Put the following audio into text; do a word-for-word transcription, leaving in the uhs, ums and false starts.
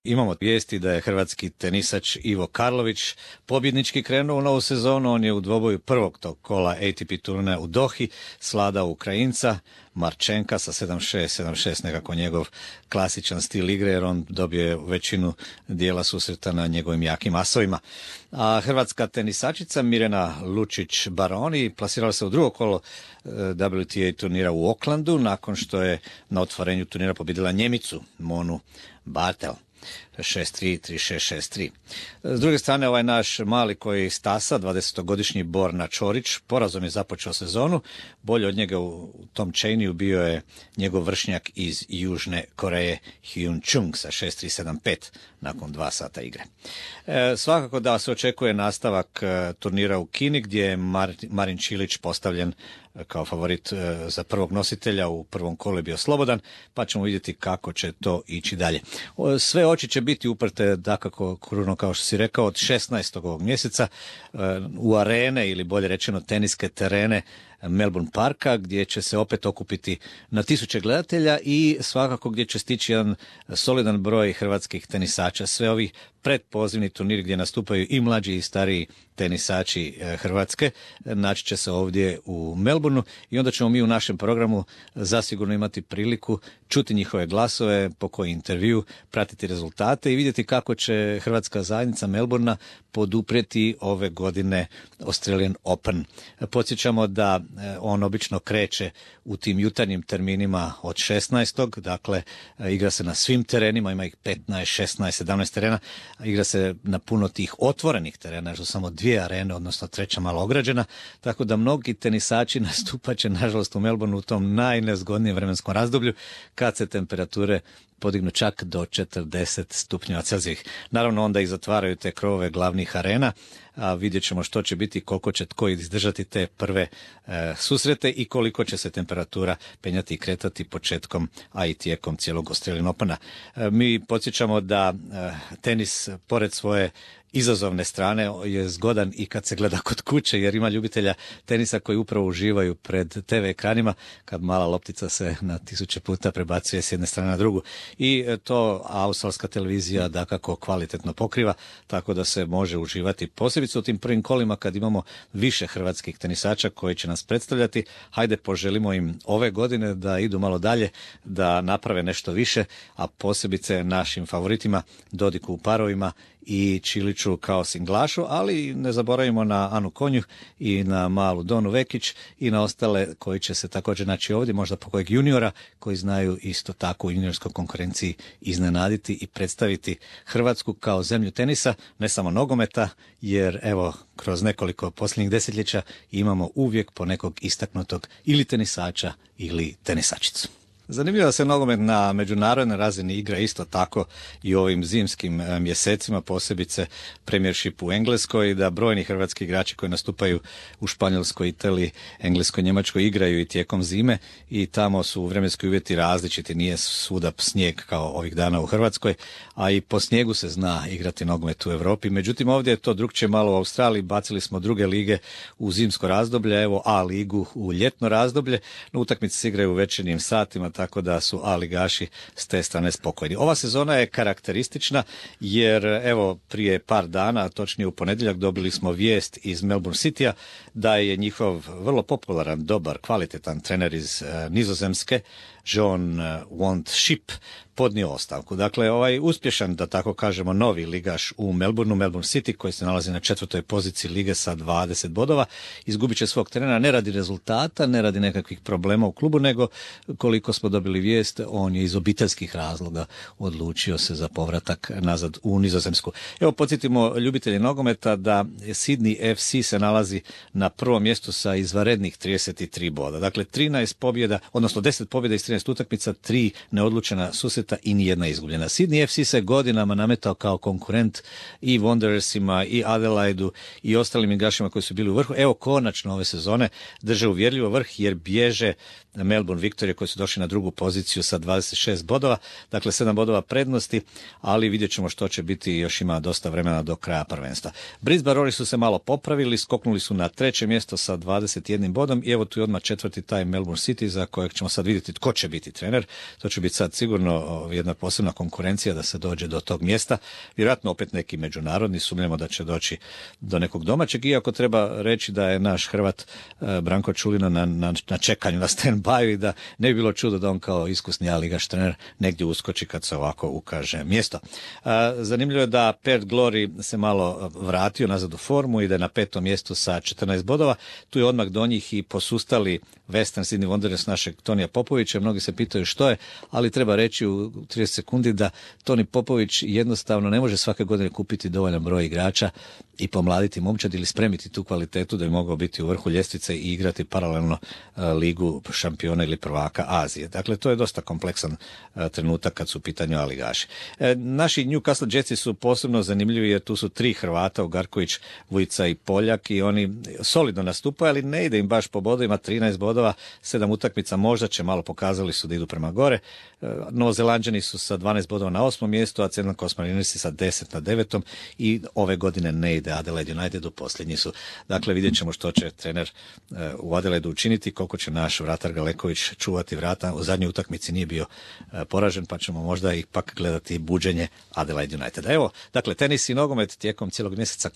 Imamo vijesti da je hrvatski tenisač Ivo Karlović pobjednički krenuo u novu sezonu. On je u dvoboju prvog tog kola A T P turnira u Dohi svladao Ukrajinca Marčenka sa sedam šest, sedam šest, nekako njegov klasičan stil igre, jer on dobio je većinu dijela susreta na njegovim jakim asovima. A hrvatska tenisačica Mirjana Lučić-Baroni plasirala se u drugo kolo W T A turnira u Aucklandu nakon što je na otvorenju turnira pobjedila Njemicu Monu Bartel. šest tri, tri šest, šest tri. S druge strane, ovaj naš mali koji stasa, dvadesetogodišnji Borna Čorić, porazom je započeo sezonu. Bolje od njega u tom Cheney bio je njegov vršnjak iz Južne Koreje Hyun Chung sa šest tri, sedam pet nakon dva sata igre. E, svakako da se očekuje nastavak e, turnira u Kini gdje je Mar, Marin Čilić postavljen kao favorit e, za prvog nositelja. U prvom kolu je bio slobodan, pa ćemo vidjeti kako će to ići dalje. O, sve oči će biti uprte, dakako, kruno, kao što si rekao, od šesnaestog ovog mjeseca e, u arene, ili bolje rečeno teniske terene Melbourne Parka, gdje će se opet okupiti na tisuće gledatelja i svakako gdje će stići jedan solidan broj hrvatskih tenisača. Sve ovi predpozivni turniri gdje nastupaju i mlađi i stariji tenisači Hrvatske naći će se ovdje u Melbourneu i onda ćemo mi u našem programu zasigurno imati priliku čuti njihove glasove, po koji intervju, pratiti rezultate i vidjeti kako će hrvatska zajednica Melbournea poduprijeti ove godine Australian Open. Podsjećamo da on obično kreće u tim jutarnjim terminima od šesnaestog Dakle, igra se na svim terenima, ima ih petnaest, šesnaest, sedamnaest terena, igra se na puno tih otvorenih terena, što samo dvije arene, odnosno treća malo ograđena, tako da mnogi tenisači nastupaće, nažalost, u Melbourneu u tom najnezgodnijem vremenskom razdoblju, kad se temperature podignu čak do četrdeset stupnjeva Celzijevih. Naravno, onda i zatvaraju te krovove glavnih arena, a vidjet ćemo što će biti, koliko će tko izdržati te prve e, susrete i koliko će se temperatura penjati i kretati početkom, a i tijekom cijelog Australian Opena. E, mi podsjećamo da e, tenis, pored svoje izazovne strane, je zgodan i kad se gleda kod kuće, jer ima ljubitelja tenisa koji upravo uživaju pred te ve ekranima kad mala loptica se na tisuće puta prebacuje s jedne strane na drugu. I to australska televizija dakako kvalitetno pokriva, tako da se može uživati posebice u tim prvim kolima kad imamo više hrvatskih tenisača koji će nas predstavljati. Hajde, poželimo im ove godine da idu malo dalje, da naprave nešto više, a posebice našim favoritima Dodiku u parovima i Čiliću kao singlašu, ali ne zaboravimo na Anu Konjuh i na malu Donu Vekić i na ostale koji će se također naći ovdje, možda po kojeg juniora, koji znaju isto tako u juniorskoj konkurenciji iznenaditi i predstaviti Hrvatsku kao zemlju tenisa, ne samo nogometa, jer evo, kroz nekoliko posljednjih desetljeća imamo uvijek po nekog istaknutog ili tenisača ili tenisačicu. Zanimljivo da se nogomet na međunarodnoj razini igra isto tako i u ovim zimskim mjesecima, posebice Premiership u Engleskoj, da brojni hrvatski igrači koji nastupaju u Španjolskoj, Italiji, Engleskoj, Njemačkoj igraju i tijekom zime i tamo su vremenski uvjeti različiti, nije svuda snijeg kao ovih dana u Hrvatskoj, a i po snijegu se zna igrati nogomet u Europi. Međutim, ovdje je to drukčije malo u Australiji, bacili smo druge lige u zimsko razdoblje, evo A ligu u ljetno razdoblje, no utakmice se igraju u večernjim satima, tako da su A ligaši s te strane spokojni. Ova sezona je karakteristična jer evo prije par dana, točnije u ponedjeljak, dobili smo vijest iz Melbourne Citya da je njihov vrlo popularan, dobar, kvalitetan trener iz uh, Nizozemske, John Want Ship, podnio ostavku. Dakle, ovaj uspješan, da tako kažemo, novi ligaš u Melbourneu, Melbourne City, koji se nalazi na četvrtoj poziciji lige sa dvadeset bodova, izgubit će svog trenera ne radi rezultata, ne radi nekakvih problema u klubu, nego koliko smo dobili vijest, on je iz obiteljskih razloga odlučio se za povratak nazad u Nizozemsku. Evo, podsjetimo ljubitelji nogometa da Sydney F C se nalazi na prvom mjestu sa izvanrednih trideset tri boda. Dakle, trinaest pobjeda, odnosno deset pobjeda iz trinaest utakmica, tri neodlučena susreta i nijedna izgubljena. Sydney F C se godinama nametao kao konkurent i Wanderersima i Adelaidu i ostalim igračima koji su bili u vrhu. Evo, konačno ove sezone drže uvjerljivo vrh jer bježe Melbourne Victoria koji su došli na drugu poziciju sa dvadeset šest bodova, dakle sedam bodova prednosti, ali vidjet ćemo što će biti, još ima dosta vremena do kraja prvenstva. Brisbane Roari su se malo popravili, skoknuli su na treće mjesto sa dvadeset jednim bodom i evo tu je odmah četvrti taj Melbourne City za kojeg ćemo sad vidjeti tko će biti trener. To će biti sad sigurno jedna posebna konkurencija da se dođe do tog mjesta. Vjerojatno opet neki međunarodni, sumnjamo da će doći do nekog domaćeg, iako treba reći da je naš Hrvat Branko Čulina na, na, na čekanju, na stand-by i da ne bi bilo čudo da on kao iskusni A-ligaš trener negdje uskoči kad se ovako ukaže mjesto. Zanimljivo je da Perth Glory se malo vratio nazad u formu i da je na petom mjestu sa četrnaest bodova. Tu je odmah do njih i posustali Western Sydney Wanderers našeg Tonija Popovića. Mnogi se pitaju što je, ali treba reći u trideset sekundi da Toni Popović jednostavno ne može svake godine kupiti dovoljan broj igrača i pomladiti momčad ili spremiti tu kvalitetu da bi mogao biti u vrhu ljestvice i igrati paralelno ligu šampiona ili prvaka Azije. Dakle, to je dosta kompleksan trenutak kad su u pitanju A-ligaši. Naši Newcastle Jetsi su posebno zanimljivi jer tu su tri Hrvata, Ugarković, Vujica i Poljak, i oni solidno nastupaju, ali ne ide im baš po bodovima, trinaest bodova, sedam utakmica, možda će malo, pokazali su da idu prema gore. Novozelanđani su sa dvanaest bodova na osmom mjestu, a Ceylon Coast Marinersi sa deset na devetom i ove godine ne ide Adelaide Unitedu, posljednji su. Dakle, vidjet ćemo što će trener u Adelaidu učiniti, koliko će naš vratar Galeković čuvati vrata. U zadnjoj utakmici nije bio poražen, pa ćemo možda ipak gledati buđenje Adelaide Uniteda. Evo, dakle, tenis i nogomet tijekom cijelog mjeseca